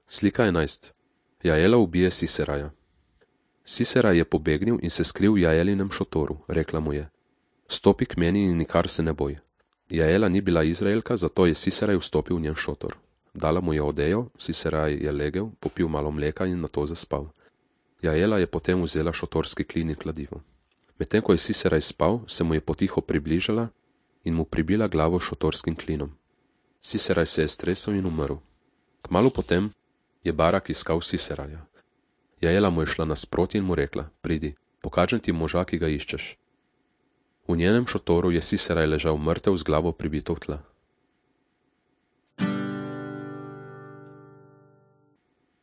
Slika 11. Jaela ubije Siseraja. Siseraj je pobegnil in se skril v Jaelinem šotoru, rekla mu je: Stopi k meni in nikar se ne boj. Jaela ni bila Izraelka, zato je Siseraj vstopil v njen šotor. Dala mu je odejo, Siseraj je legel, popil malo mleka in nato zaspal. Jaela je potem vzela šotorski klin in kladivo. Medtem ko je Siseraj spal, se mu je potiho približala in mu pribila glavo šotorskim klinom. Siseraj se je stresel in umrl. Kmalu potem je Barak iskal Siseraja. Jaela mu je šla nasproti in mu rekla: Pridi, pokažem ti moža, ki ga iščeš. V njenem šotoru je Siseraj ležal mrtev z glavo pribito v tla.